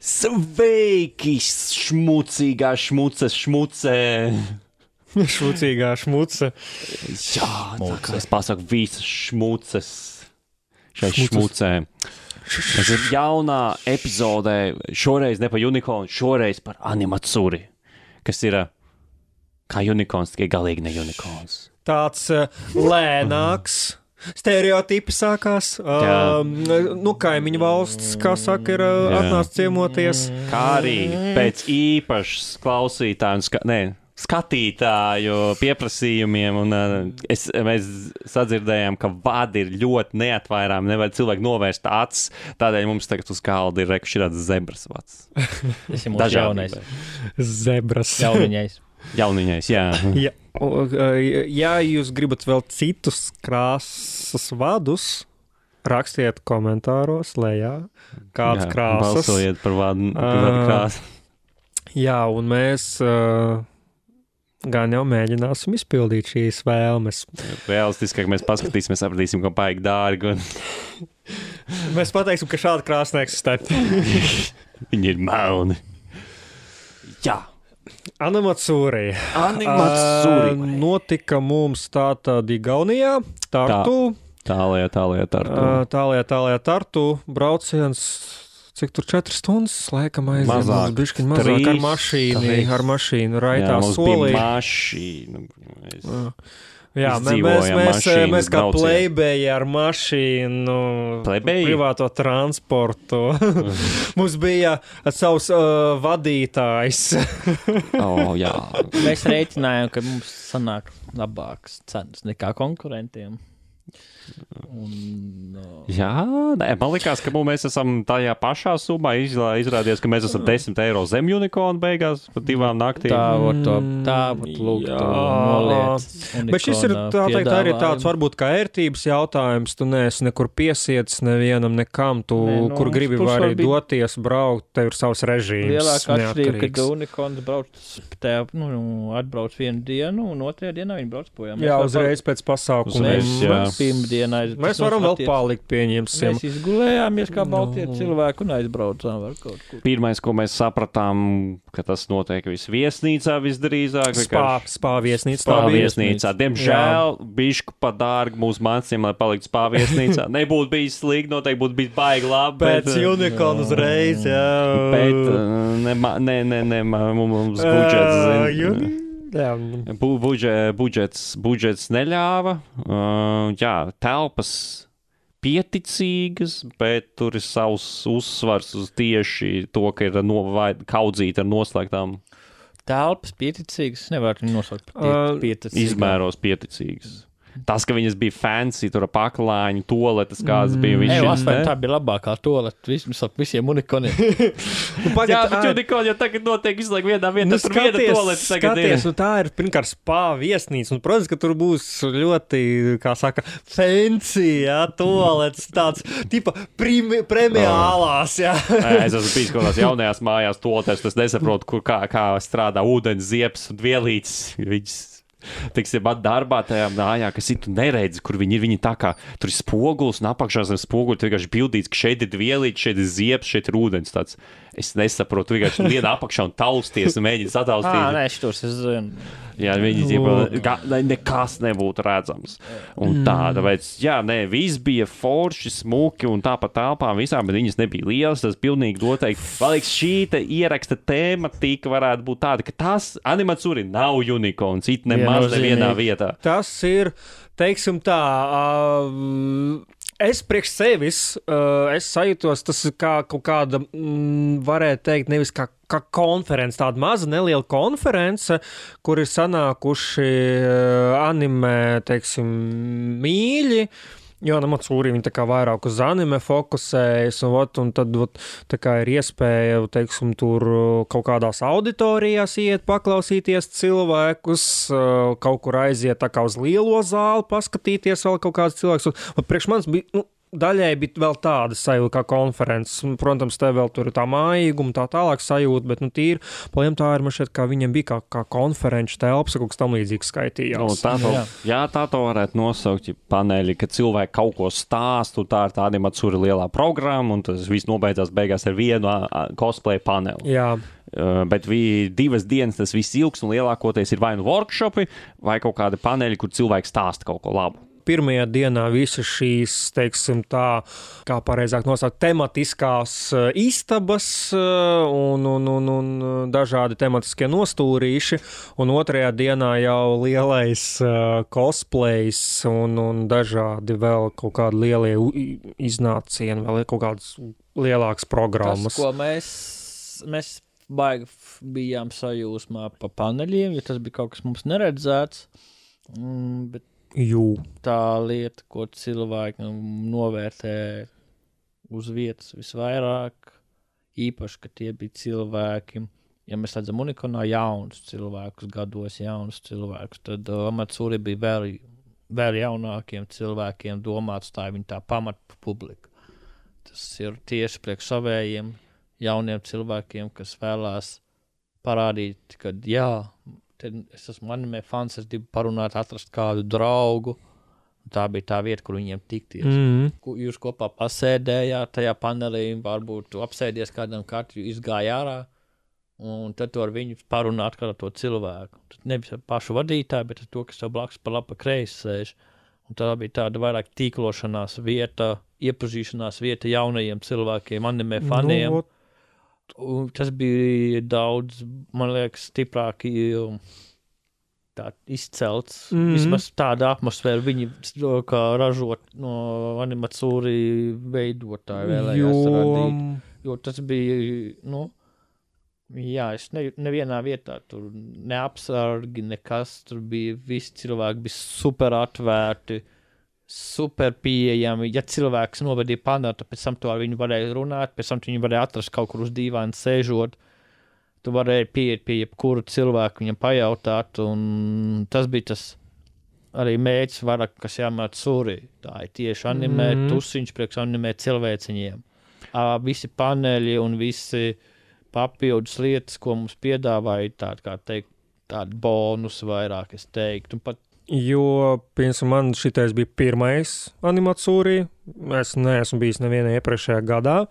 Sveiki, šmucīgā šmuce. Šmucīgā šmuce. Jā, tā kā es pasaku visas šmuces šai šmucē. Tas ir jaunā epizodē, šoreiz ne par unikornu, šoreiz par animatsuri, kas ir kā unikorns, tikai galīgi ne unikorns. Tāds lēnāks. Stereotipi sākās. Kaimiņu valsts, kā saka, ir atnāc ciemoties. Kā arī pēc īpašas klausītāju, skatītāju pieprasījumiem, un mēs sadzirdējām, ka vadi ir ļoti neatvairāmi, nevar cilvēki novērst acis, tādēļ mums tagad uz galda ir šāds zebras vads. Tas ir mūsu jaunais. Zebras. Jauniņais, jā. Ja jūs gribat vēl citus krāsas vadus, rakstiet komentāros lejā, kāds krāsas. Balsojiet par vadu krāsu. Jā, un mēs gan jau mēģināsim izpildīt šīs vēlmes. Realistiskāk mēs paskatīsimies, sapratīsim, ko paigi dārgi. Mēs pateiksim, ka šāda krāsa neeksistē. Viņi ir melni. Jā. Animatsūri. Notika mums tātad Igaunijā, Tartu. Tālajā Tartu brauciens, cik tur 4 stundas, laikam aizjām. Mazāk ar mašīnu raitā solī. Jā, mums bija mašīna. Jā, mēs kā plebēji ar mašīnu, privāto transportu. Mums bija savs vadītājs. Jā. Mēs rēķinājām, ka mums sanāk labākas cenas nekā konkurentiem. Jā, man likās, ka mēs esam tajā pašā summā. Izrādījās, ka mēs esam 10 eiro zem unikornu beigās par 2 naktīm. Tā lūk, noliec. Bet šis ir arī tāds varbūt kā ērtības jautājums. Tu neesi nekur piesiets nevienam nekam. Kur gribi vari doties, braukt, tev ir savs režīms. Lielākā atšķirība, ka unikorns atbrauc vienu dienu un otrajā dienā viņi brauc projām. Jā, uzreiz pēc pasākuma. Mēs varam vēl palikt, pieņemsim. Mēs izgulējāmies kā baltie cilvēki un aizbraucām var kaut kur. Pirmais, ko mēs sapratām, ka tas notiek viesnīcā visdrīzāk. Spā viesnīcā. Diemžēl bišku pa dārgu mūsu mācījiem, lai paliktu spā viesnīcā. Nebūtu bijis slīgi, noteikti būtu bijis baigi labi. Pēc unikornu uzreiz, jā. Bet mums budžets neļāva. Jā, telpas pieticīgas, bet tur ir savs uzsvars uz tieši to, ka ir kaudzīta ar noslēgtām. Telpas pieticīgas, nevar viņu nosaukt par pieticīgām. Izmēros pieticīgas. Tas, ka viņas bija fancy, tur paklāņu, toaletes, kādas bija. Tā bija labākā toaleta visiem unikoniem. Jā, bet unikoni jau tagad notiek izlaik vienā vietā, tur viena toaleta tagad ir. Tā ir pirmkārt spā viesnīca, un, protams, ka tur būs ļoti, kā saka, fancy, jā, toaletes, tāds, tipa, premiālās, jā. Es esmu bijis kaut kādās jaunajās mājās toaletes, es nesaprotu, kā strādā ūdens ziepes un vielītes, viņas. Tiksim, darbā tajā mājā, kas ir, tu neredzi, kur viņi ir. Viņi tā kā tur ir spogulis un apakšā zem spoguli, tu vienkārši bildīts, ka šeit ir vielīte, šeit ir ziepes, šeit ir ūdens tāds. Es nesaprotu, vienkārši liena apakšā un tausties un mēģina sataustīt. Šitos es zinu. Jā, viņi nekas nebūtu redzams. Un tāpēc, viss bija forši, smuki un tāpat telpām visām, bet viņas nebija lielas, tas pilnīgi noteikti. Vēl liekas, šī ieraksta tēmatika varētu būt tāda, ka tas animatsuri nav unikorns, it nemaz nevienā vietā. Tas ir, teiksim tā, es priekš sevis, es sajūtos, tas ir kā kaut kāda, varētu teikt, nevis kā konference, tāda maza neliela konference, kur ir sanākuši anime, teiksim, mīļi, jo Animatsuri viņi tā kā vairāk uz anime fokusējas, un tad tā kā ir iespēja, teiksim, tur kaut kādās auditorijās iet, paklausīties cilvēkus, kaut kur aiziet tā kā uz lielo zāli, paskatīties vēl kaut kāds cilvēks. Un priekš manis bija, daļai bija vēl tāda sajūta kā konferences. Protams, te vēl tur ir tā mājīguma, tā tālāk sajūta, bet, tīri, paliem tā ir, man šķiet, kā viņiem bija kā konferenču telpas, kaut kas tam līdzīgs skaitījās. Tā to varētu nosaukt, ja paneļi, ka cilvēki kaut ko stāstu, tā ir tāda Animatsuri lielā programma, un tas viss nobeidzās beigās ar vienu cosplay paneli. Jā. Bet 2 dienas tas viss ilgs, un lielākoties ir vai nu workshopi, vai kaut kādi paneļi, kur cilvēki stāsta kaut ko labu. Pirmajā dienā visas šīs, teiksim tā, kā pareizāk nosaukt, tematiskās istabas un dažādi tematiskie nostūrīši, un otrajā dienā jau lielais cosplays un dažādi vēl kaut kādi lielie iznācieni, vēl kaut kādas lielākas programmas. Tas, ko mēs baigi bijām sajūsmā pa paneļiem, jo tas bija kaut kas mums neredzēts, bet tā lieta, ko cilvēki novērtē uz vietas visvairāk, īpaši, ka tie bija cilvēki, ja mēs redzam Unikonā jaunus cilvēkus, gados jaunus cilvēkus, tad Animatsuri bija vēl jaunākiem cilvēkiem domāts, tā ir viņa tā pamata publika. Tas ir tieši priekš savējiem jauniem cilvēkiem, kas vēlās parādīt, ka es esmu anime fans, es gribu parunāt, atrast kādu draugu. Tā bija tā vieta, kur viņiem tikties. Jūs kopā pasēdējāt tajā panelī, varbūt tu apsēdies kādam katru, izgāja ārā, un tad tu ar viņu parunāt kā to cilvēku. Tad nevis pašu vadītāju, bet to, kas tev blakus pa labi kreisi sēž. Un tā bija tāda vairāk tīklošanās vieta, iepazīšanās vieta jaunajiem cilvēkiem, anime faniem. Tas bija daudz, man liekas, stiprāk izcelts. Vismaz tāda atmosfēra viņi kā ražot no Animatsuri veidotāji vēlējās radīt. Jo tas bija, es nevienā vietā tur neapsargi, nekas, tur bija visi cilvēki, bija super atvērti, super pieejami. Ja cilvēks novedīja paneli, tad pēc tam to ar viņu varēja runāt, pēc tam viņu varēja atrast kaut kur uz dīvaina sēžot. Tu varēji pieiet pie jebkuru cilvēku, viņam pajautāt, un tas bija tas arī mērķis vairāk, kas jāmēt suri. Tā ir tieši anime, tusiņš priekš anime cilvēciņiem. Visi paneļi un visi papildus lietas, ko mums piedāvāja, tādi bonus vairāk, es teiktu. Un pat Jo, piemēram, man šitais bija pirmais Animatsuri. Es neesmu bijis nevienā iepriekšējā gadā.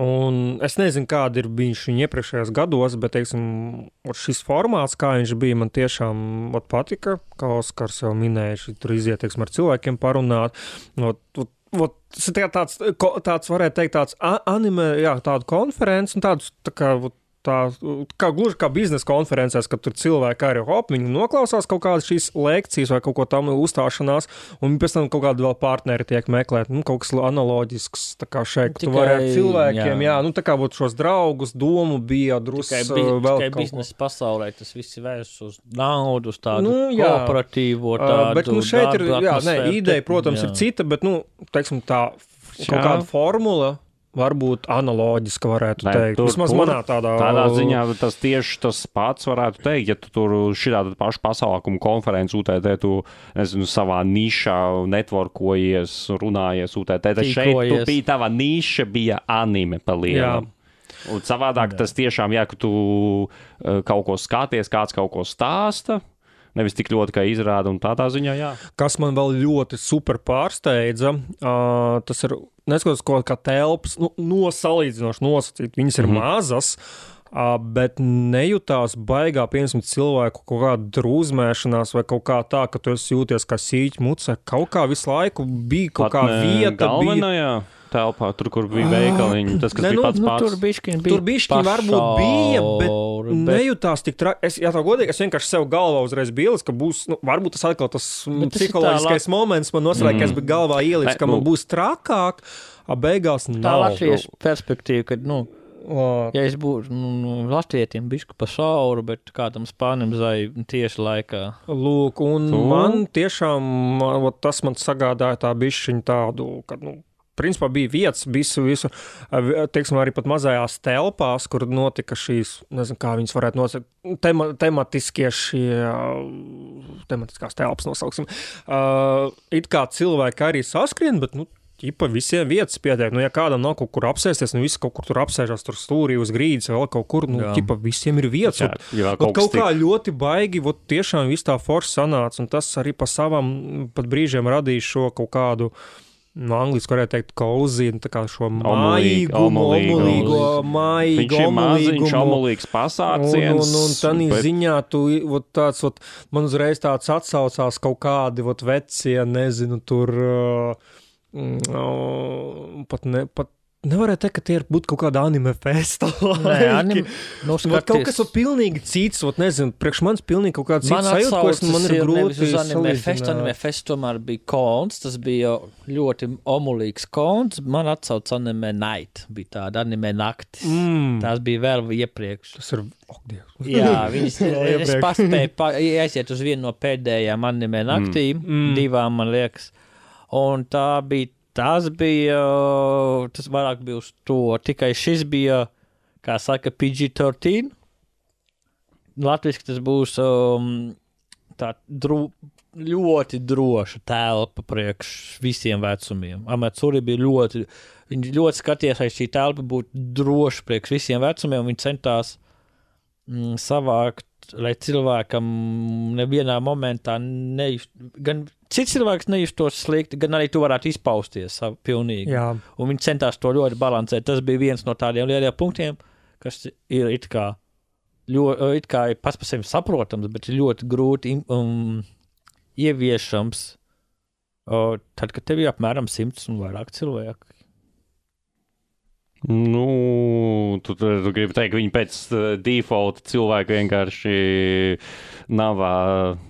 Un es nezinu, kāda ir bijis viņa iepriekšējās gados, bet, teiksim, šis formāts, kā viņš bija, man tiešām patika. Kā Oskars jau minēja, tur iziet, teiksim, ar cilvēkiem parunāt. Tas ir tāds, varētu teikt, tāds anime, tādu konferenci un tādus, gluži kā biznesa konferencēs, kad tur cilvēki arī viņi noklausās kaut kādas šīs lekcijas vai kaut ko tam uzstāšanās, un pēc tam kaut kādi vēl partneri tiek meklēt, kaut kas analoģisks, tā kā šeit, ka tu varētu cilvēkiem, tā kā būtu šos draugus, domu bija drusku vēl kaut ko. Biznesa pasaulē tas viss ir vērsts uz naudu, uz tādu kooperatīvo, tādu bet, šeit ir, ideja, protams, ir cita, bet, teiksim tā, kaut kāda formula, varbūt analoģiski varētu teikt. Vismaz manā tādā ziņā tas tieši tas pats varētu teikt, ja tu tur šitādu pašu pasākumu konferenci UTT, tu, nezinu, savā nišā networkojies, runājies UTT, tad šeit tu bija tava niša, bija anime pa lielam. Un savādāk tas tiešām, ka tu kaut ko skaties, kāds kaut ko stāsta, nevis tik ļoti, kā izrāda, un tādā ziņā, Kas man vēl ļoti super pārsteidza, tas ir, neskatoties, kā telpas, salīdzinoši nosacīt, viņas ir mazas, bet nejūtās baigā, piemēram, cilvēku kaut kāda drūzmēšanās vai kaut kā tā, ka tu esi jūties kā sīķi mucē, kaut kā visu laiku bija kaut kā vieta. Galvenajā telpā, tur, kur bija veikaliņi, tas, kas bija pats. Tur bišķiņ varbūt bija, bet nejūtās tik traki. Ja tā godīgi, es vienkārši sev galvā uzreiz biju, ka būs, varbūt tas atkal tas psiholoģiskais moments man noslēg, ka es biju galvā ielicis, ka man būs trakāk, beigās nav. Tā latviešu perspektīva, kad, ja es būtu latvietim bišku pa šauru, bet kādam spānim zai tieši laikā. Lūk, un man tiešām, tas man sagādāja tā bišķiņu tādu, kad, principā bija vietas visu, teiksim, arī pat mazajās telpās, kur notika šīs, nezinu, kā viņas varētu nosaukt, tematiskās telpas nosauksim. It kā cilvēki arī saskrien, bet, ķipa visiem vietas pietiek. Nu, ja kādam nav kaut kur apsēsties, nu visi kaut kur tur apsēžās, tur stūrī uz grīdas, vēl kaut kur, nu, ķipa visiem ir vietas. Kaut kā ļoti baigi, tiešām viss tā forši sanāca, un tas arī pa savam pat brīžiem radīja šo kaut kādu, no angliski varētu teikt, cozy, tā kā šo omulīgo, maziņš, omulīgs pasāciens. Un tanī ziņā tu, man uzreiz tāds atsaucās kaut kādi, vecie, nezinu, tur, pat nevarētu teikt, ka tie ir būt kaut kāda anime festa. Kaut kas pilnīgi cits, nezinu, priekš manis pilnīgi kaut kāds cits sajūta, ko man ir grūti salīdzināt. Anime fest tomēr bija konts, tas bija ļoti omulīgs konts, man atsauc anime night, bija tāda anime naktis. Tās bija vēl iepriekš. Tas ir, jā, es paspēju aiziet uz vienu no pēdējām anime naktīm, divām, man liekas, un tas vairāk bija uz to, tikai šis bija, kā saka, PG-13. Latviski tas būs tā ļoti droša telpa priekš visiem vecumiem. Amatsuri bija viņi ļoti skatījās, lai šī telpa būtu droša priekš visiem vecumiem, un viņi centās savākt, lai cilvēkam nevienā momentā gan cits cilvēks nejustos slikti, gan arī tu varētu izpausties pilnīgi. Jā. Un viņi centās to ļoti balansēt. Tas bija viens no tādiem lieliem punktiem, kas ir it kā pats par sevi saprotams, bet ir ļoti grūti ieviešams tad, kad tev ir apmēram 100 un vairāk cilvēku. Nu, tu gribi teikt, ka viņi pēc default cilvēku vienkārši nav,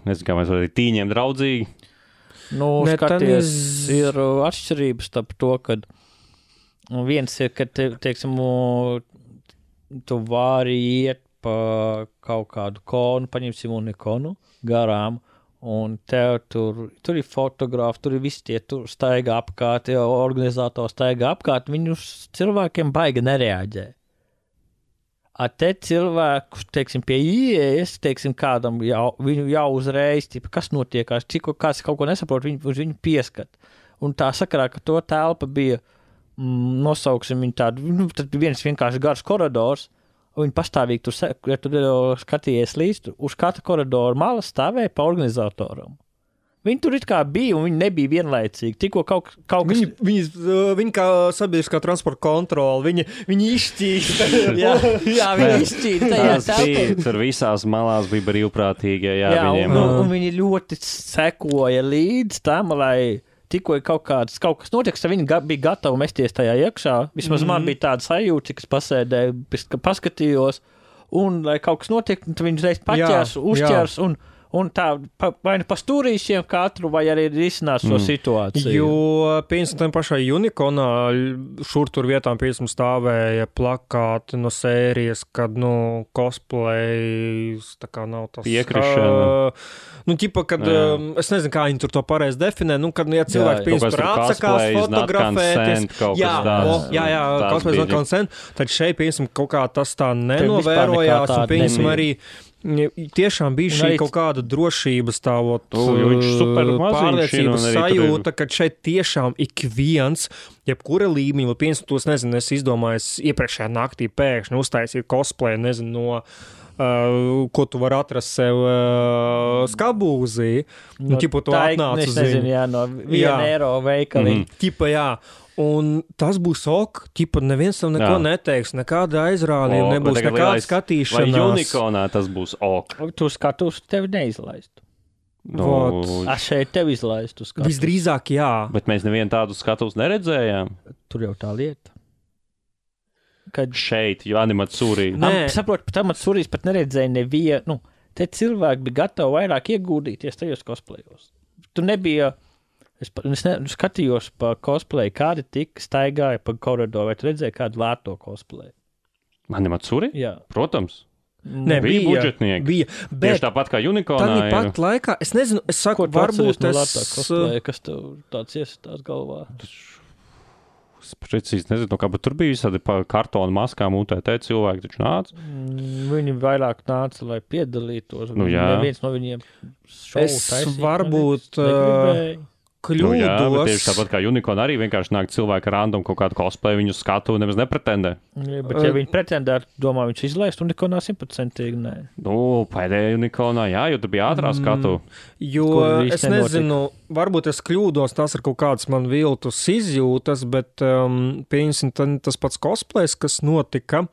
nezinu, kā mēs varam tīņiem draudzīgi. Nu, skaties, ir atšķirības starp to, kad viens ir, ka, teiksim, tu vari iet pa kaut kādu konu, paņemsim unikonu garām, un tev tur ir fotografi, tur ir visi tie, tur staigā apkārt, organizatori staigā apkārt, viņu cilvēkiem baigi nereaģē. Te cilvēku, teiksim, pie ieejas, teiksim, kādam viņu jau uzreiz, kas notiekās, kāds kaut ko nesaprot, viņu pieskat. Un tā sakarā, ka to telpa bija, nosauksim viņu tādu, tad viens vienkārši garš koridors, un viņi pastāvīgi tur, ja tu skatījies līdz, uz katra koridora malas stāvēja pa organizatoram. Viņi tur it kā bija, un viņi nebija vienlaicīgi. Tikko kaut kas... Viņi kā sabiedriskā transporta kontrola, viņi izšķīsta. jā, viņi izšķīsta tajā telpā. Tur visās malās bija brīvprātīgie, viņiem. Un viņi ļoti sekoja līdz tam, lai tikko kaut kas notiek, tad viņi bija gatavi mesties tajā iekšā. Vismaz man bija tāda sajūta, kas pasēdēja, paskatījos, un lai kaut kas notiek, tad viņi uzreiz paķers, uzķers, un tā vai nu pa stūrīšiem katru, vai arī risinās šo situāciju. Jo, piemēram, pašai Unikonā šur tur vietām, piemēram, stāvēja plakāti no sērijas, kad, cosplays, tā kā nav tas... Piekrišana. Kad, es nezinu, kā viņi tur to pareizi definē, kad, ja cilvēki, piemēram, atsakās fotografēties. Cosplays not consent, tad šeit, piemēram, kaut kā tas tā nenovērojās, un, piemēram, arī tiešām bija šī kaut kāda drošības pārliecības sajūta, ka šeit tiešām ik viens, jebkura līmeņa, piemēram, tos, nezinu, es izdomāju iepriekšējā naktī pēkšņi uztaisīt cosplay, nezinu, no ko tu vari atrast sev skabūzī. Tu atnāc uz viņu. No 1 eiro veikali. Un tas būs neviens tam neko neteiks, nekāda aizrādījuma nebūs, nekāda skatīšanās. Vai Unikonā tas būs Tu skatus tevi neizlaistu. Šeit tevi izlaistu skatus. Visdrīzāk, jā. Bet mēs nevienu tādu skatus neredzējām. Tur jau tā lieta. Kad šeit, jo Animatsuri. Saprot, pat Animatsurīs pat neredzēja nevienu. Te cilvēki bija gatavi vairāk iegūdīties tajos cosplayos. Tu nebija... Es skatījos pa cosplay, kādi tik staigāja pa koridoru, vai tu redzēji kādu lēto cosplay? Animatsuri? Jā. Protams. Bija budžetnieki. Bija. Tieši tāpat kā Unikonā. Tā pat laikā, es nezinu, es saku, varbūt no lētā cosplay, kas tev tāds iesitās galvā? Es precīzi nezinu, bet tur bija visādi pa kartonu maskām UTT cilvēki taču nāca. Viņi vairāk nāca, lai piedalītos. Neviens no viņiem šovu taisīt. Varbūt... kļūdos. Jā, bet tieši tāpat kā Unicorn arī vienkārši nāk cilvēki random kaut kādu cosplay, viņu skatu nemaz nepretendē. Jā, bet ja viņi pretendētu, domā, viņš izlaist Unicornā 100%, nē. Pēdējā Unicornā, jā, jo tur bija ātrā skatu. Jo es nezinu, varbūt es kļūdos, tas ir kaut kāds man viltus izjūtas, bet pieņemsim tas pats cosplays, kas notika,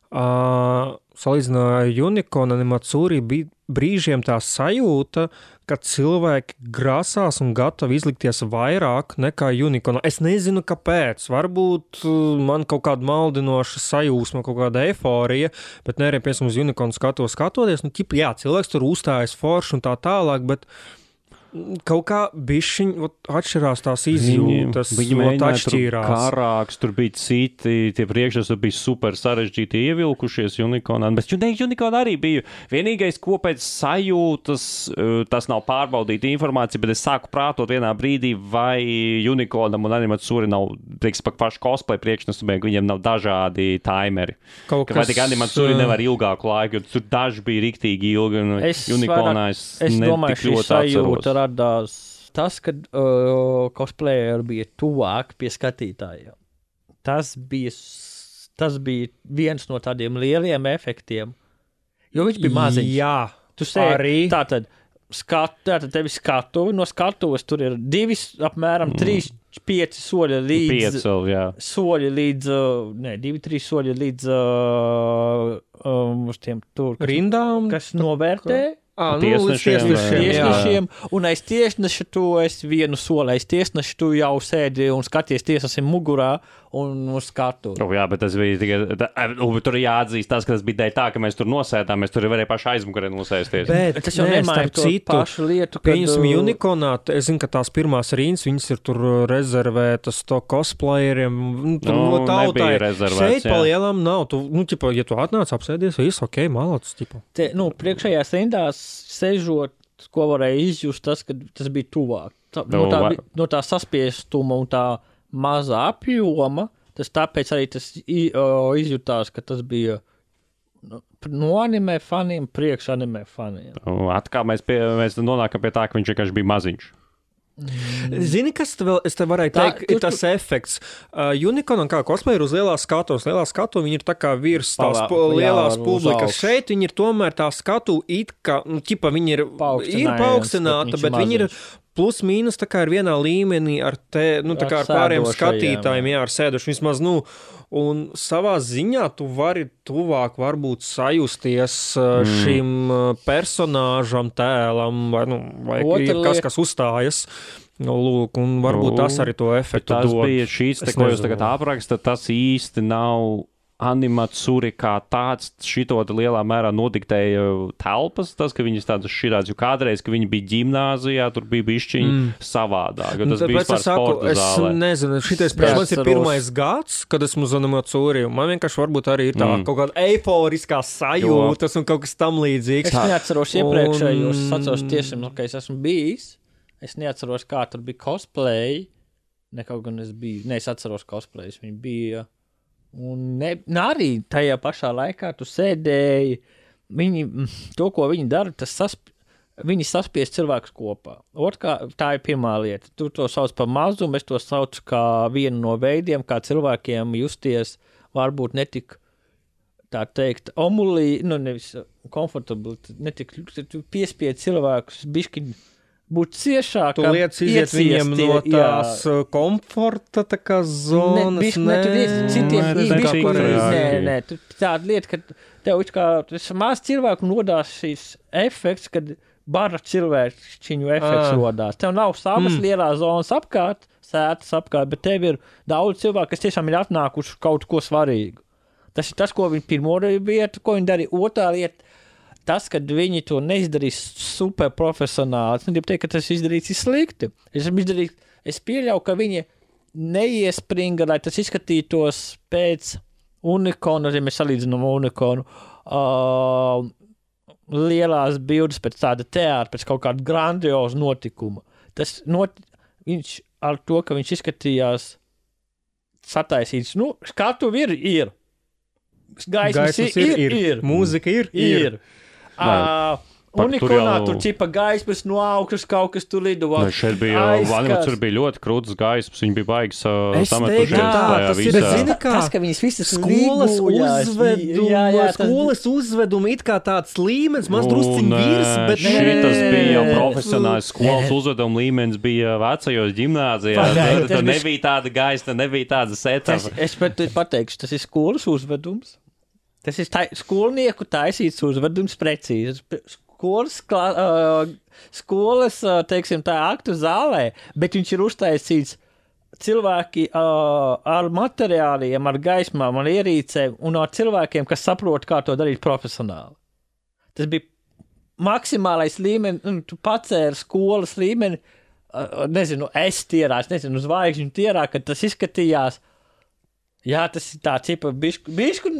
salīdzināja Unicorn animatsūri, bija brīžiem tā sajūta, ka cilvēki grasās un gatavi izlikties vairāk nekā Unicorn. Es nezinu, kāpēc. Varbūt man kaut kāda maldinoša sajūsma, kaut kāda eiforija, bet nē, piemēram, uz Unicorn skatoties, jā, cilvēks tur uzstājas forši un tā tālāk, bet kaut kā bišķiņ atšķirās tās izjūtas, viņi mēģināja atšķīrās. Tur karāks, tur bija citi, tie priekšas bija super sarežģīti ievilkušies Unicornā, bet Unicorn arī bija vienīgais, ko pēc sajūtas, tas nav pārbaudīta informācija, bet es sāku prātot vienā brīdī, vai Unicornam un Animatsuri nav, teiks, paši cosplay priekšnesumiem, viņiem nav dažādi timeri. Vai tik Animatsuri nevar ilgāku laiku, jo tur daži bija riktīgi ilgi, un Unicornā es netik ļoti atceros. Radās tas, kad cosplayer bija tuvāk pie skatītājiem. Tas bija viens no tādiem lieliem efektiem, jo viņš bija maziņš. Jā, tu arī. Tātad tevi skatuvi, no skatuves tur ir apmēram 3-5 soļi līdz... 2-3 soļi līdz uz tiem tur, rindām, kas novērtē. Tiesnešiem. Un aiz tiesneša tu esi vienu soli, aiz tiesneša tu jau sēdi un skaties tiesasim mugurā un uz skatu. Jā, bet tas bija tikai, tur jāatzīst tas, ka tas bija dēļ tā, ka mēs tur nosēdām, mēs tur varēja paši aizmugurē nosēsties. Bet tas jau nemaina to pašu lietu, kad... Pieņemsim Unicornā, es zinu, ka tās pirmās rīnas, viņas ir tur rezervētas to cosplayeriem, no tautai. Šeit palielam nav, ja tu atnāc apsēdies, viss ok, malacis, tipa. Priekšējās rindās sežot, ko varēja izjust tas, ka tas bija tuvāk. No tā saspiestuma un tā mazā apjoma, tas tāpēc arī tas izjutās, ka tas bija no anime faniem, priekš anime faniem. Atkal mēs nonākam pie tā, ka viņš vienkārši bija maziņš. Zini, kas es te varēju teikt, ir tas efekts. Unicorn kā cosplayer uz lielā skatu, viņi ir tā kā virs tās lielās publikas. Šeit viņi ir tomēr tā skatu it kā, viņi ir paaugstināta, bet viņi ir plus mīnus tā kā ir vienā līmenī ar tā kā ar pāriem skatītājiem, ar sēduši vismaz, un savā ziņā tu vari tuvāk varbūt sajusties šim personāžam, tēlam, vai kas uzstājas. Lūk, un varbūt tas arī to efektu dod. Tas bija šīs, ko jūs tagad apraksta, tas īsti nav Animatsuri kā tāds šito lielā mērā nodiktēja telpas, tas, ka viņas tādas šķirāts, jo kādreiz, ka viņi bija ģimnāzijā, tur bija bišķiņi savādāk, jo tas bija vispār sporta zālē. Es nezinu, šitais priekš ir pirmais gads, kad esmu uz Animatsuri, un man vienkārši varbūt arī ir tā kaut kāda eiforiskā sajūtas un kaut kas tam līdzīgs. Es neatceros iepriekšējos, es atceros tiešām, ka es esmu bijis, es neatceros, kā tur bija cosplay, kaut gan es atceros cosplays, viņi bija... Un arī tajā pašā laikā tu sēdēji, to, ko viņi dara, viņi saspies cilvēkus kopā. Tā ir pirmā lieta. Tu to sauc par mazumu, es to saucu kā vienu no veidiem, kā cilvēkiem justies varbūt netik, tā teikt, nevis comfortable, netik piespied cilvēkus bišķiņi būt ciešāk. Tu lietas iziet viņiem no tās komforta tā kā zonas. Nē, tāda lieta, ka tev tas maz cilvēku nodās šīs efekts, kad bara cilvēčiņu efekts rodās. Tev nav savas lielās zonas apkārt, sētas apkārt, bet tev ir daudz cilvēku, kas tiešām ir atnākuši kaut ko svarīgu. Tas ir tas, ko viņi pirmo vieta, ko viņi darīja. Otrā lieta, tas, kad viņi to neizdarīs super profesionāli, es negribu teikt, ka tas izdarīts slikti. Es pieļauju, ka viņi neiespringa, lai tas izskatītos pēc Unicornu, ja mēs salīdzinām Unicornu, lielās bildes pēc tāda teātra, pēc kaut kāda grandioza notikuma. Viņš ar to, ka viņš izskatījās sataisīts, skatuvi ir. Gaismas ir. Mūzika ir. Unikonā tur ķipa gaismas no augšas kaut kas tur lido. Šeit bija ļoti krūtas gaismas, viņi bija baigas sametušies. Tas, ka viņas visas skolas uzvedumi it kā tāds līmenis, maz drusciņ virs, bet šitas bija profesionāls skolas uzveduma līmenis, bija vecajos ģimnāzijās. Tad nebija tāda gaisma, nebija tāda setava. Es pateikšu, tas ir skolas uzvedums. Tas ir skolnieku taisīts uzvedums precīzi. Skolas, teiksim, tā aktu zālē, bet viņš ir uztaisīts cilvēki ar materiāliem, ar gaismām, ar ierīcēm un ar cilvēkiem, kas saprot, kā to darīt profesionāli. Tas bija maksimālais līmenis, tu pacēri skolas līmeni, nezinu, uz zvaigžņu tierā, kad tas izskatījās. Jā, tas ir tā čipa bišku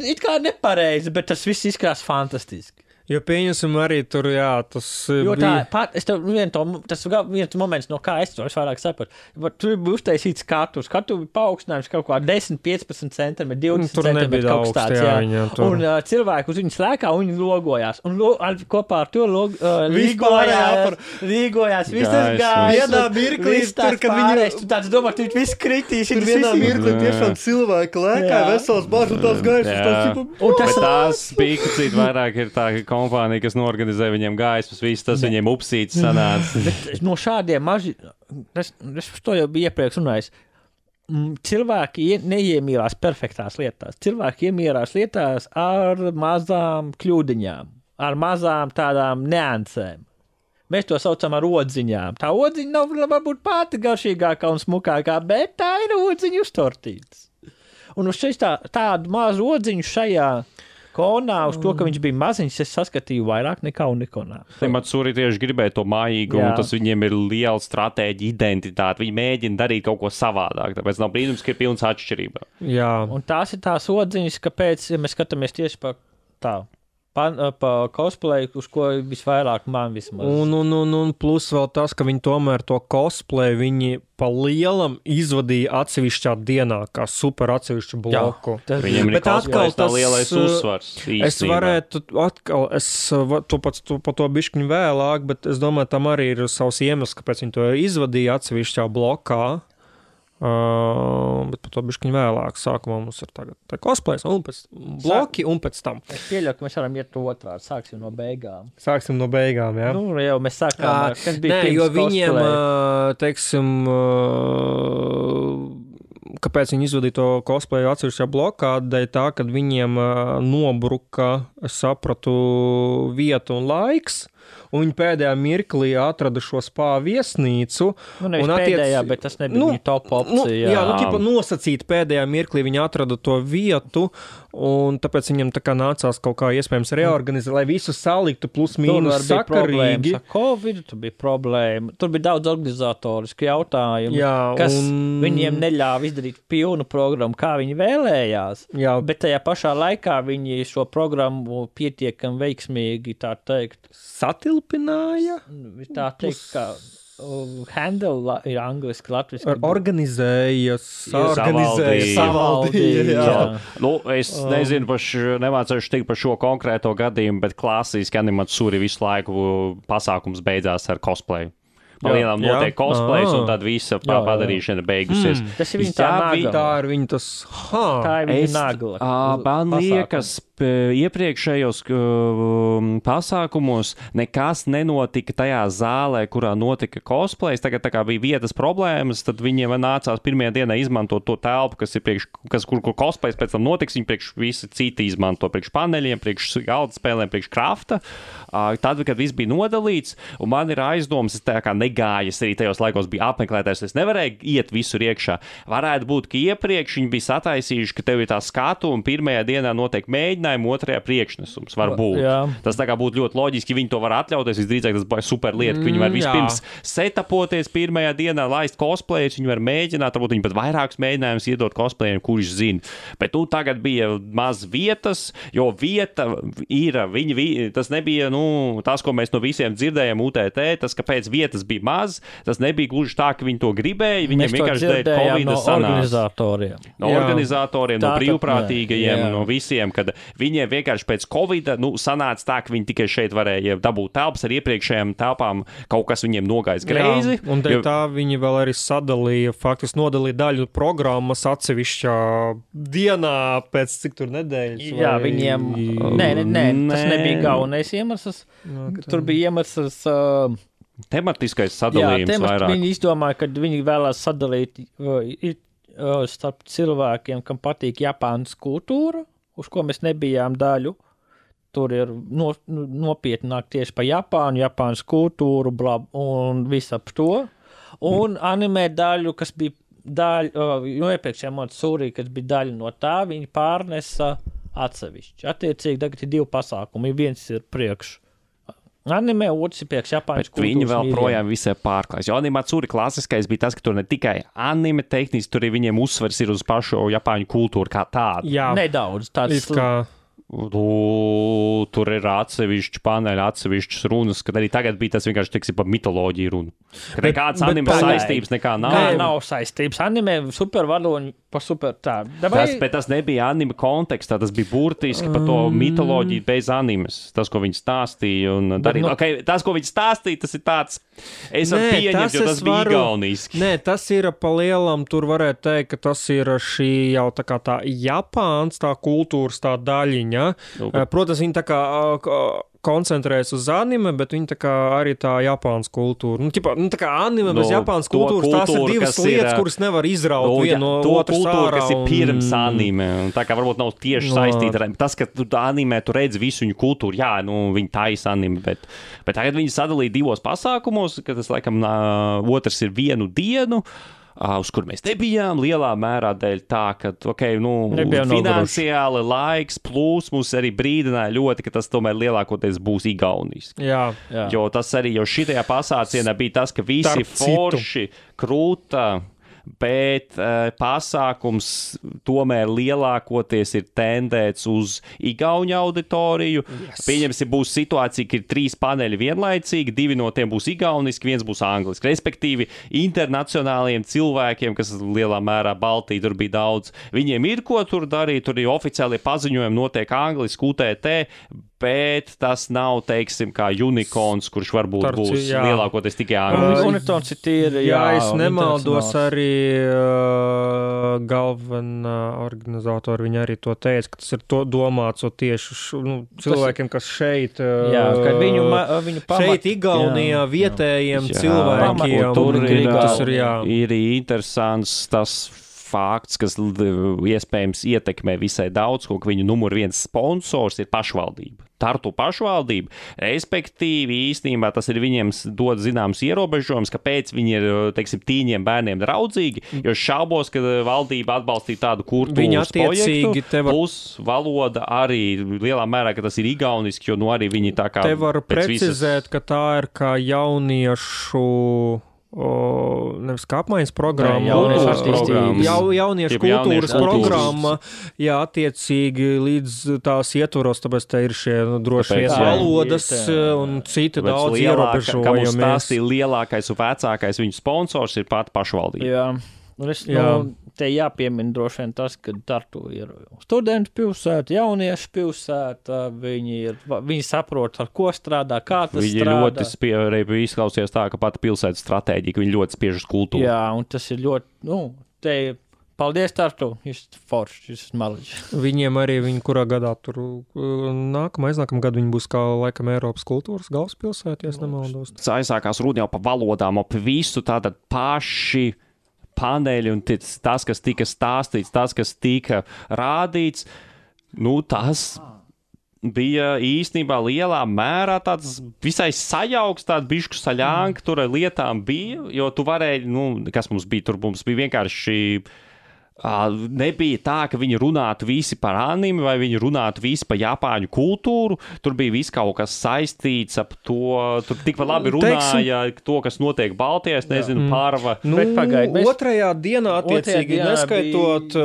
it kā nepareizi, bet tas viss izskatās fantastiski. Jo pieņemsim arī tur, tas jo bija... Tas viens moments, no kā es vairāk sapratu. Tur bija uztaisīts skatu bija paaugstinājums kaut kā 10-15 centimetri, 20 centimetri kaut kas tāds. Jā. Un cilvēki uz viņu slēkā un viņi logojās. Un kopā ar to līgojās. Viss tas gāja. Vienā mirklī, tur, kad viņi... Tu tāds domā, ka viss kritīs. Tur vienā mirklī tiešām cilvēki lēkā, vesels bārs un tās gaismas. Bet tās bija, vairāk ir tā kompānija, kas norganizē viņiem gaismas, viss tas viņiem upsīts sanāca. Bet no šādiem maži, es to jau biju iepriekš runājis, cilvēki neiemīlās perfektās lietās. Cilvēki iemīlās lietās ar mazām kļūdiņām, ar mazām tādām neansēm. Mēs to saucam ar odziņām. Tā odziņa nav varbūt pati garšīgākā un smukākā, bet tā ir odziņa uztortītas. Un uz šeit tādu mazu odziņu šajā konā, uz to, ka viņš bija maziņš, es saskatīju vairāk nekā Unikonā. Matsuri tieši gribēja to mājīgumu, un tas viņiem ir liela stratēģija, identitāte. Viņi mēģina darīt kaut ko savādāk, tāpēc nav brīnums, ka ir pilns atšķirība. Jā. Un tās ir tās odziņas, kāpēc, ja mēs skatāmies tieši pa cosplay, uz ko visvairāk man vismaz. Un plus vēl tas, ka viņi tomēr to cosplay, viņi pa lielam izvadīja atsevišķā dienā, kā super atsevišķu bloku. Jā, viņiem ir cosplay tā lielais uzsvars. Es varētu pa to bišķiņu vēlāk, bet es domāju, tam arī ir savs iemesls, kāpēc viņi to izvadīja atsevišķā blokā. Bet par to bišķiņu vēlāk. Sākumā mums ir tagad cosplays, un pēc bloki, un pēc tam. Es pieļauju, ka mēs varam iet otrādi. Sāksim no beigām, jā. Nu, jau mēs sākām, kas bija pirms jo viņiem, cosplay. Teiksim, kāpēc viņi izvadīja to cosplayu atsevišķā blokā, dēļ tā, kad viņiem nobruka, es sapratu, vieta un laiks, un viņi pēdējā mirklī atrada šo spā viesnīcu. Pēdējā, bet tas nebija viņa top opcija. Nosacīt pēdējā mirklī viņi atrada to vietu, un tāpēc viņam tā kā nācās kaut kā iespējams reorganizēt, lai visu saliktu plus mīnus sakarīgi. Tur bija problēma. Tur bija daudz organizatorisku jautājumu, kas viņiem neļāva izdarīt pilnu programmu, kā viņi vēlējās. Jā. Bet tajā pašā laikā viņi šo programmu pietiekami veiksmīgi, tā teikt, satilpināja. Tā teikt, kā handle ir angliski, latviski. Organizēja, savaldīja. Nu, es nezinu, nemācēšu tik par šo konkrēto gadījumu, bet klasiski animatsūri visu laiku pasākums beidzās ar cosplayu. Palielam notiek cosplays, un tad visa padarīšana beigusies. Tas ir viņa tā nagla. Tā ir viņa tas, Tā ir viņa nagla. Man liekas, iepriekšējos pasākumos nekas nenotika tajā zālē, kurā notika cosplays. Tagad tā kā bija vietas problēmas, tad viņiem nācās pirmajā dienā izmantot to telpu, kur cosplays pēc tam notiks. Viņi priekš visi citi izmanto priekš paneļiem, priekš galda spēlēm, priekš krafta. Tad, kad viss bija nodalīts, un man ir aizdomas, es tā kā negājas arī tajos laikos bija apmeklētājs, es nevarēju iet visur iekšā. Varētu būt, ka iepriekš viņi bija sataisījuši, ka tev ir tā skatu, un pirmajā dienā notiek mēģinājumi, otrajā priekšnesums var būt. Tas tā kā būtu ļoti loģiski, viņi to var atļauties, visdrīzāk tas būs super lieta, ka viņi var vispirms setapoties pirmajā dienā, laist cosplayus, viņi var mēģināt, varbūt viņi pat vairākus mēģinājumus iedot cosplayiem, kurš zina. Bet tagad bija maz vietas, jo vieta ir, tas nebija, tas, ko mēs no visiem dzirdējām UTT, tas, kāpēc vietas bija maz, tas nebija gluži tā, ka viņi to gribēja, viņiem vienkārši dēļ Covid sanāca. No organizatoriem, no brīvprātīgajiem, no visiem, kad Viņiem vienkārši pēc Covida, sanāca tā, ka viņi tikai šeit varēja dabūt telpas ar iepriekšējām telpām, kaut kas viņiem nogājis greizi. Jā, un tā viņi vēl arī sadalīja, faktiski nodalīja daļu programmas atsevišķā dienā pēc cik tur nedēļas. Jā, viņiem, nē, tas nebija galvenais iemesls. Tur bija iemesls... tematiskais sadalījums vairāk. Viņi izdomāja, ka viņi vēlās sadalīt starp cilvēkiem, kam patīk Japānas kultūra, uz ko mēs nebijām daļu. Tur ir nopietnāk tieši pa Japānas kultūru un visu ap to. Un anime daļu, kas bija iepriekšējā Montesūrī, kas bija daļa no tā, viņi pārnesa atsevišķi. Attiecīgi, tagad ir 2 pasākumi. Viens ir priekš anime, otrs ir priekš Japānas kultūras. Viņi vēl projām visai pārklājas. Jo Animatsuri klasiskais bija tas, ka tur ne tikai anime tehniski, tur arī viņiem uzsvers ir uz pašu Japāņu kultūru kā tādu. Jā, nedaudz. Tāds tur ir atsevišķi paneļi, atsevišķas runas, kad arī tagad bija tas vienkārši, teiksim, par mitoloģiju runa. Ka nekādas anime saistības nekā nav. Nē, nav saistības. Anime supervadoņi pa super tā. Bet tas nebija anime kontekstā, tas bija burtiski par to mitoloģiju bez animes. Tas, ko viņi stāstīja un darīja. Tas, ko viņi stāstīja, tas ir tāds, es varu pieņemt, jo tas bija igauniski. Nē, tas ir pa lielam, tur varētu teikt, ka tas ir šī jau tā kā tā Japāns, tā kultūras tā daļiņa. Protams, viņi tā kā koncentrējas uz anime, bet viņi tā kā arī tā Japānas kultūra. Tā kā anime bez Japānas kultūras, tās ir divas lietas, kuras nevar izraut vienu no otras ārā. Kas ir pirms anime, un tā kā varbūt nav tieši saistīta ar tas, ka anime tu redz visu viņu kultūru, jā, viņi taisa anime, bet tagad viņi sadalīja 2 pasākumos, ka tas, laikam, otrs ir 1 dienu, uz kur mēs nebijām, lielā mērā dēļ tā, ka, finansiāli laiks plus mums arī brīdināja ļoti, ka tas tomēr lielākoties būs igauniski. Jā. Jo tas arī, jo šitajā pasācienā bija tas, ka visi forši, krūta, bet pasākums tomēr lielākoties ir tendēts uz igauņu auditoriju. Yes. Pieņemsim, būs situācija, ka ir 3 paneļi vienlaicīgi, 2 no tiem būs igauniski, 1 būs angliski. Respektīvi, internacionāliem cilvēkiem, kas lielā mērā Baltija tur bija daudz, viņiem ir ko tur darīt, tur ir oficiālie paziņojumi, notiek angliski, UTT, bet tas nav, teiksim, kā unicorns, kurš varbūt būs lielākoties tikai angliski. Unicorns ir tīri, jā, es nemaldos arī galvenā organizatori, viņi arī to teica, ka tas ir to domāts tieši cilvēkiem, kas šeit, ka viņu šeit Igaunijā vietējiem cilvēkiem. Tas ir interesants tas fakts, kas iespējams ietekmē visai daudz, ko viņu numur 1 sponsors ir pašvaldība. Tartu pašvaldība, respektīvi īstenībā tas ir viņiem dod zināms ierobežojums, kāpēc viņi ir, teiksim, tīņiem bērniem draudzīgi, jo šaubos, ka valdība atbalstīja tādu kultūras projektu, plus valoda arī lielā mērā, ka tas ir igauniski, jo arī viņi tā kā... Te var precizēt, ka tā ir kā jauniešu... nevis kā apmaiņas programma, jauniešu kultūras programma, jā, attiecīgi līdz tās ietvaros, tāpēc te ir šie droši vien valodas un citi daudz ierobežojumi. Kā mums stāstīja, lielākais un vecākais viņu sponsors ir pat pašvaldība. Jā. Te jāpiemina droši vien tas, ka Tartu ir studentu pilsēta, jauniešu pilsēta, viņi saprot, ar ko strādā, kā tas strādā. Viņi ļoti izklausījās tā, ka pati pilsētas stratēģija, ka viņi ļoti spiež uz kultūru. Jā, un tas ir ļoti, paldies Tartu, jūs forši, jūs maliģi. Viņiem arī, kurā gadā tur aiznākamā gadu viņi būs kā laikam Eiropas kultūras galvaspilsēta, ja es nemaldos. Tas aizsākās runa jau pa valodām, ap visu tātad paši paneļi un tas, kas tika stāstīts, tas, kas tika rādīts, tas bija īstenībā lielā mērā tāds visai sajauks, tāda bišku saļānka tur lietām bija, jo tu varēji, kas mums bija, tur mums bija vienkārši... nebija tā, ka viņi runātu visi par anime vai viņi runātu visi par Japāņu kultūru. Tur bija viss kaut kas saistīts ap to. Tur tikpat labi runāja to, kas notiek Baltijā, es nezinu, pārva. Otrajā dienā attiecīgi neskaitot...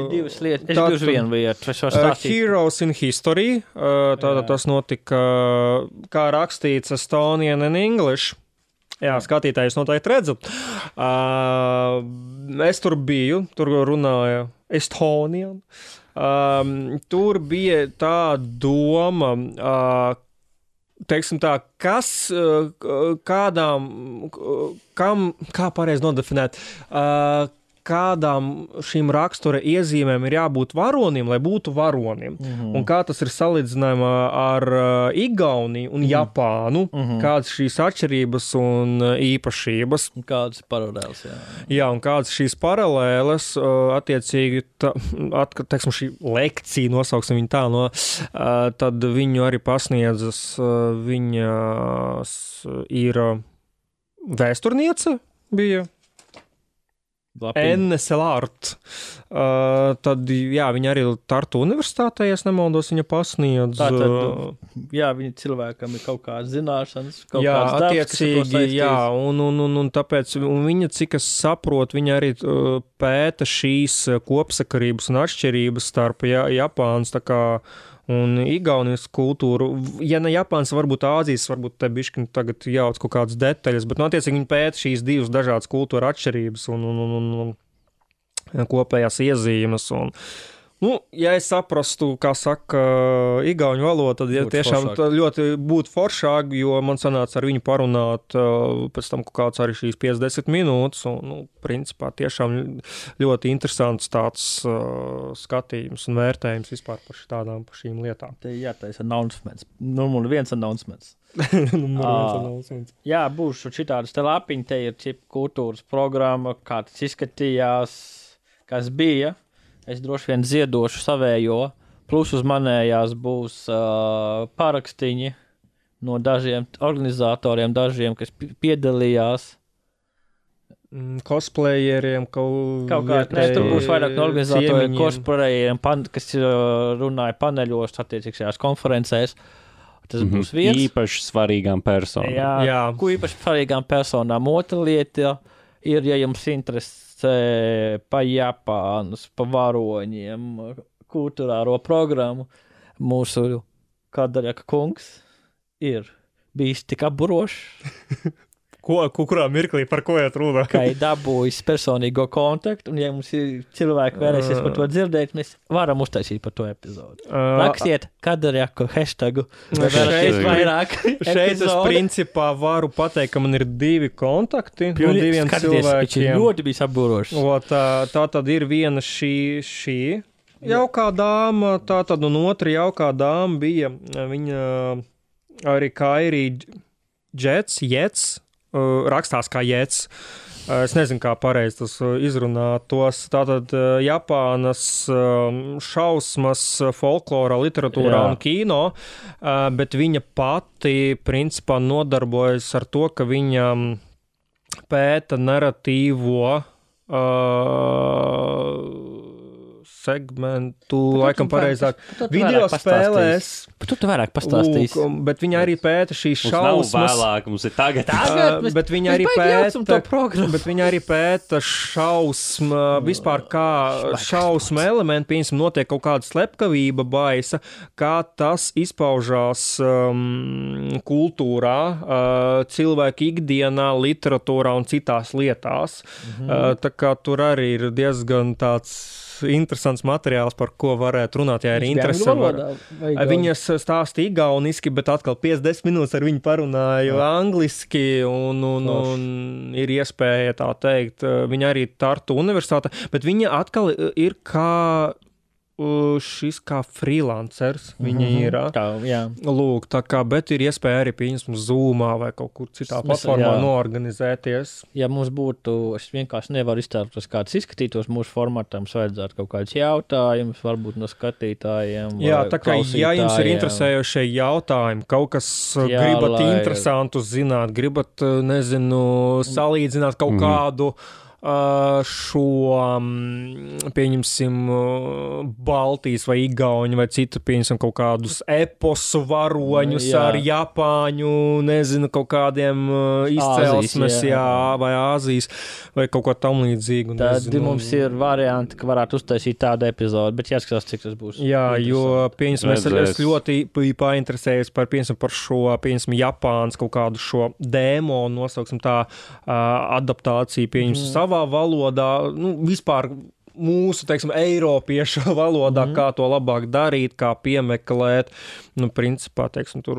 divas lietas. Es biju uz vienu vietu. Heroes in History. Tātad tas notika, kā rakstīts Estonian and English. Jā, skatītājus noteikti redzu. Es tur biju, tur runāja Estonian. Tur bija tā doma, teiksim tā, kā pareizi nodefinēt, kādām šīm rakstura iezīmēm ir jābūt varonim, lai būtu varonim. Un kā tas ir salīdzinājumā ar Igauniju un Japānu, kādas šīs atšķirības un īpašības. Kādas paralēles, jā. Jā, un kādas šīs paralēles, attiecīgi, teiksim, šī lekcija, nosauksim viņu tā, tad viņu arī pasniedzas, viņas ir vēsturniece bija, Enne Selārt. Tad, jā, viņa arī Tartu universitātē, ja nemaldos, viņa pasniedz. Tātad, jā, viņa cilvēkam ir kaut kādas zināšanas, kaut jā, kāds darbs, attiecīgi, jā, un tāpēc, un viņa, cik es saprotu, viņa arī pēta šīs kopsakarības un atšķirības starp Japānas, tā kā, un Igaunijas kultūru. Ja ne Japāns, varbūt Āzijas, varbūt te bišķi tagad jauc kaut kādas detaļas, bet, attiecīgi, viņi pēta šīs divas dažādas kultūra atšķirības un kopējās iezīmes. Ja es saprastu, kā saka igauņu valodu, tad tiešām ļoti būtu foršāk, jo man sanāca ar viņu parunāt pēc tam kaut kāds arī šīs 50 minūtes, un, principā, tiešām ļoti interesants tāds skatījums un vērtējums vispār par šīm lietām. Jā, tā ir announcements. Numur viens announcements. Jā, būšu šitādas te lapiņi, te ir čipa kultūras programma, kā tas izskatījās, kas bija. Es droši vien ziedošu savējo, plus uz manējās būs parakstiņi no dažiem organizatoriem, dažiem, kas piedalījās. Cosplayeriem, kaut kā, tur būs vairāk no organizatoriem, cosplayeriem, kas runāja paneļos, attiecīgajās konferencēs. Tas būs viens. Īpaši svarīgām personām. Jā. Ko īpaši svarīgām personām. Otra lieta ir, ja jums interesē pa Japānas, pa varoņiem, kultūrāro programmu, mūsu Kadarjaka kungs ir bijis tik apburošs. Kurā mirklī, par ko iet runa? Kā ir dabūjis personīgo kontaktu, un ja mums ir cilvēki vēlēsies par to dzirdēt, mēs varam uztaisīt par to epizodu. Rakstiet Kadarjaku hashtagu. Šeit es principā varu pateikt, ka man ir 2 kontakti no 2 cilvēkiem. Viņš ir ļoti bijis apburošs. Tā tad ir viena šī jaukā dāma, tā tad un otra jaukā dāma bija, viņa arī Kairi Jets, rakstās kā Jets. Es nezinu, kā pareizi tas izrunāt tos. Tātad Japānas šausmas folklorā, literatūrā un kino, bet viņa pati principā nodarbojas ar to, ka viņa pēta narratīvo segmentu, laikam pareizāk, video spēlēs. Tu vairāk pastāstīsi. Bet viņa arī pēta šīs šausmas. Mums nav vēlāk, mums ir tagad. Bet viņa arī pēta šausmu, vispār kā šausmu elementi, piemēram, notiek kaut kāda slepkavība, baisa, kā tas izpaužās kultūrā, cilvēku ikdienā, literatūrā un citās lietās. Tā kā tur arī ir diezgan tāds interesants materiāls, par ko varētu runāt, ja ir interese. Viņas stāsta igauniski, bet atkal 50 minūtes ar viņu parunāju angliski, un ir iespēja tā teikt, viņa arī Tartu universitāte, bet viņa atkal ir kā šis kā freelancers, viņa ir. Lūk, tā kā, bet ir iespēja arī pieņemt Zoomā vai kaut kur citā platformā noorganizēties. Ja mums būtu, es vienkārši nevaru iztēloties, kāds izskatītos mūsu formatā, mums vajadzētu kaut kādus jautājumus, varbūt no skatītājiem. Jā, tā kā, ja jums ir interesējošie jautājumi, kaut kas gribat interesantu zināt, gribat, nezinu, salīdzināt kaut kādu šo, pieņemsim, Baltijas vai Igauņu vai citu, pieņemsim, kaut kādus eposu varoņus ar Japāņu, nezinu, kaut kādiem izcelsmes, vai Āzijas, vai kaut ko tam līdzīgu. Tad mums ir varianti, ka varētu uztaisīt tādu epizodu, bet jāskatās, cik tas būs. Jā, jo, pieņemsim, es ļoti painteresējos par šo, pieņemsim, Japānas kaut kādu šo dēmonu, nosauksim tā, adaptāciju, pieņemsim, savā valodā, vispār mūsu, teiksim, eiropiešu valodā, kā to labāk darīt, kā piemeklēt. Nu, principā, teiksim, tur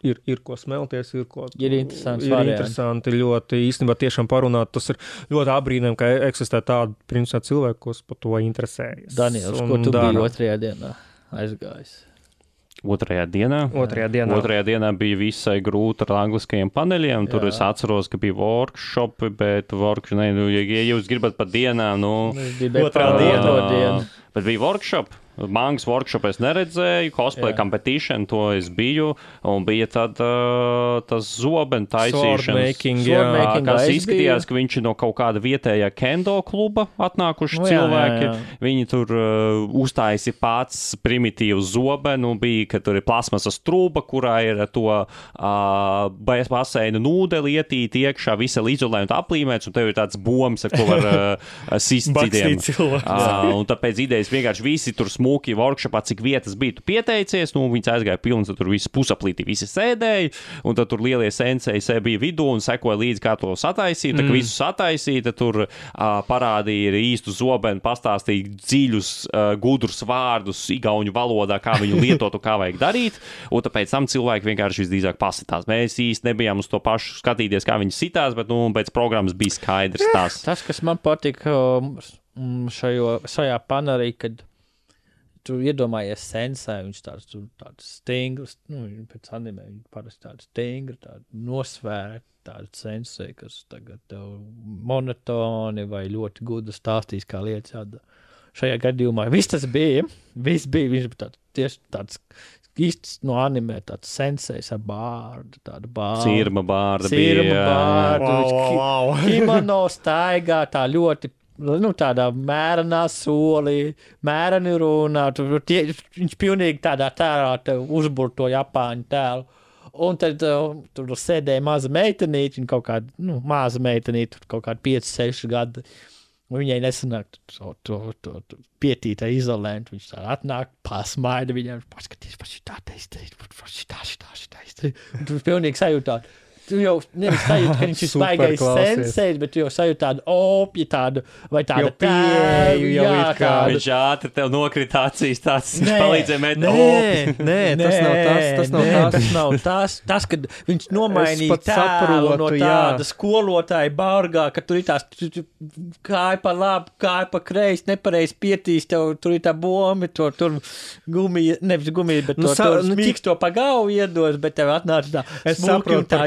ir ko smelties, ir interesanti ļoti īstenībā tiešām parunāt. Tas ir ļoti abrīnām, ka eksistē tādi, principā, cilvēki, kas par to interesējas. Daniels, ko tu biji otrajā dienā aizgājis? Otrajā dienā bija visai grūti ar angliskajiem paneļiem. Tur es atceros, ka bija workshopi, bet ja jūs gribat par dienām, otrā diena. Bet bija workshop. Mangas workshop es neredzēju, cosplay competition, to es biju, un bija tad tas zobenu taisīšanas. Kas izskatījās, ka viņš ir no kaut kāda vietējā kendo kluba atnākuši cilvēki. Jā. Viņi tur uztaisi pats primitīvu zobenu, bija, ka tur ir plasmasas trūba, kurā ir to baseina nūdeli ietīt iekšā, visa izolējuma aplīmēts, un tev ir tāds bombs, ar ko var sist citiem. Un tāpēc idejas vienkārši visi tur smuki workshopā, cik vietas bija tu pieteicies, viņas aizgāja pilns, tur visi pusaplīti visi sēdēja, un tad tur lielie sensei bija vidū un sekoja līdz, kā to sataisīt, tad visu sataisīja, tur parādīja īstu zobenu, pastāstīja dziļus, gudrus vārdus igauņu valodā, kā viņu lietot un kā vajag darīt, un tāpēc tam cilvēki vienkārši visdrīzāk pasitās. Mēs īsti nebijām uz to pašu skatīties, kā viņi sitās, bet, pēc programmas bija skaidrs tās. Tas, kas man patika šajā panelī, kad tu iedomājies sensei, viņš tāds stingrs, pēc anime, viņš parasti tāds stingri, tāda nosvērta, tāda sensei, kas tagad tev monotoni vai ļoti gudri stāstīs, kā lietas jādara. Šajā gadījumā viss bija, viņš bija tieši tāds īsts no anime, tāds sensejs ar bārdu, tādu bārdu. Sirma bārdu. Kimono staigā tā ļoti tādā mērenā solī, mēreni runā, viņš pilnīgi tādā tērā uzbur to Japāņu tēlu. Un tad tur sēdēja maza meitenīte, kaut kāda maza meitenīte, kaut kāda 5-6 gadi. Viņai nesanāk to pietītā izolēt, viņš tā atnāk, pasmaida viņam, paskaties, tā taisīt. Tu pilnīgi sajūtāt. Tu jau nevis sajūti, ka viņš ir baigais sensei, bet tu jau sajūti tādu opju, tādu, vai tādu pieeju, Viņš ātri tev nokrita acīs, tāds palīdzēja met opju. Tas nav tas. Tas, kad viņš nomainīja tēlu no tāda skolotāja bargā, ka tur ir tās kāja pa labi, kāja pa kreisi, nepareiz pietīs, tev tur ir tā bombi, tur gumija, nevis gumija, bet tur smīksto pa galvu iedos, bet tev atnāca tā smuki un tā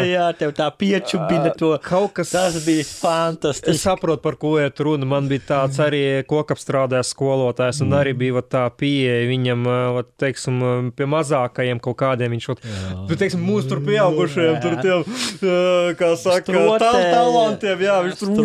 jā, tev tā piečubina to. Tas bija fantastiski. Es saprotu, par ko iet runa. Man bija tāds arī kokapstrādājs skolotājs, un arī bija tā pieeja viņam, teiksim, pie mazākajiem kaut kādiem. Viņš, teiksim, mūsu tur pieaugušajiem, tur tiem, kā saka, talantiem, jā, viņš tur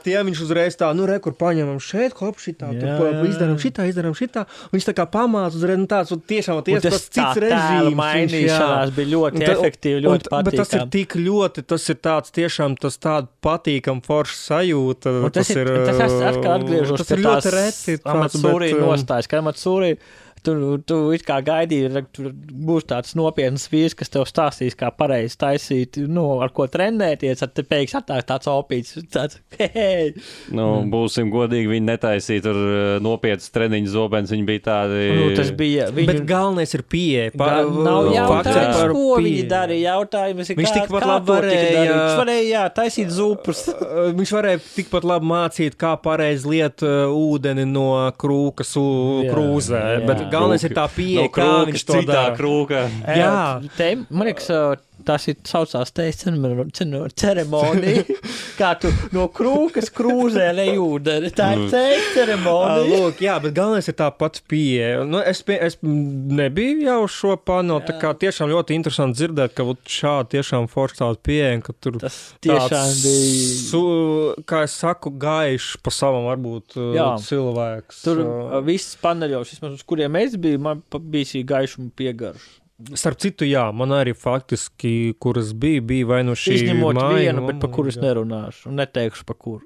tiem viņš uzreiz tā, kur paņemam šeit, hop, šitā, izdaram šitā, viņš tā kā pamāc uzreiz, tāds, tiešām, tas cits režīms. Mainīšanās bija ļoti efektīvi. Ļoti patīkam. Bet tas ir tik ļoti, tas ir tāds tiešām tas tāda patīkam forša sajūta. Tas atkal atgriežos pie tās Amatsūrī nostājas, ka Amatsūrī tu it kā gaidīji, tur būs tāds nopietns vīrs, kas tev stāstīs, kā pareizi taisīt, ar ko trenēties, tad te pēkšņi atnāk tāds opīts, tāds, hei. Būsim godīgi, viņi netaisīja tur nopietnas treniņu zobens, viņi bija tādi. Tas bija, bet galvenais ir pieeja. Nav jautājums, ko viņi darīja, jautājums ir, kā to tika darīt. Viņš varēja, taisīt zupus. Viņš varēja tikpat labi mācīt, kā pareizi liet ūdeni no krūkas krūzē, bet galvenais ir tā pieeja, kā viņš to dara. Krūka. Jā. Man liekas, tas ir saucās ceremonija, kā tu no krūkas krūzē lej ūdeni. Tā ir ceremonija. Lūk, jā, bet galvenais ir tā pats pieeja. Es nebiju jau šo panelu, tā kā tiešām ļoti interesanti dzirdēt, ka šādi tiešām forši tāda pieeja, ka tur tas tiešām bija, kā es saku, gaišs pa savam varbūt cilvēks. Tur viss paneļos, vismaz uz kuriem es biju, man bija šī gaišuma piegarša. Starp citu, jā, man arī faktiski, kuras bija vai nu šī Izņemot māja, vienu, bet par kuru es nerunāšu un neteikšu par kuru.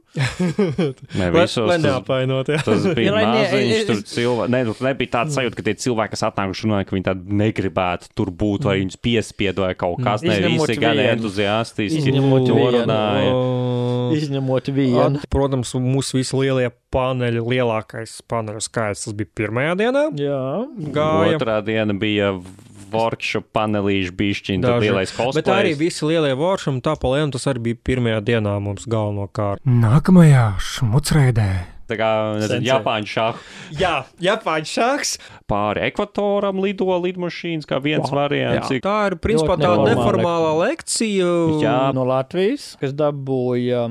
Ne, visos lai neapainot, jā. tas bija Ja, maziņš, tur cilvēki, nebija tāds sajūta, ka tie cilvēki, kas atnākuši runāja, ka viņi tādi negribētu tur būt, vai viņus piespiedu vai kaut kas, ne, Izņemot visi gan vienu. entuziastiski Izņemot to vienu. runāja. Izņemot vienu. Protams, mūsu visi lielie paneļi, lielākais paneļu skaits, tas bija pirmajā dienā. Jā. Gāja. Otrā diena bija workshop panelīši bišķiņi, tad Daži. lielais cosplays. Bet arī visi lielie workshop, tā pa lienu, tas arī bija pirmajā dienā mums galvenokārt. Nākamajā šmucreidē. Tā kā, nezinu, Sensei. Japāņu šāhu. Jā, Japāņu šāks. Pāri ekvatoram lido lidmašīnas, kā viens variants. Tā ir principā Ļoti tāda neformāla neformālā lekcija. Jā. No Latvijas, kas dabūja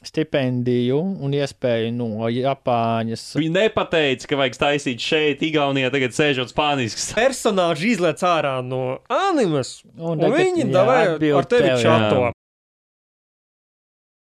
stipendiju un iespēju no Japāņas. Viņi nepateica, ka vajag taisīt šeit, Igaunijā, tagad sēžot spānisks. Personāži izlēc ārā no animes, un tagad, viņi jā, davāja atbild ar tevi tev, jā. čato.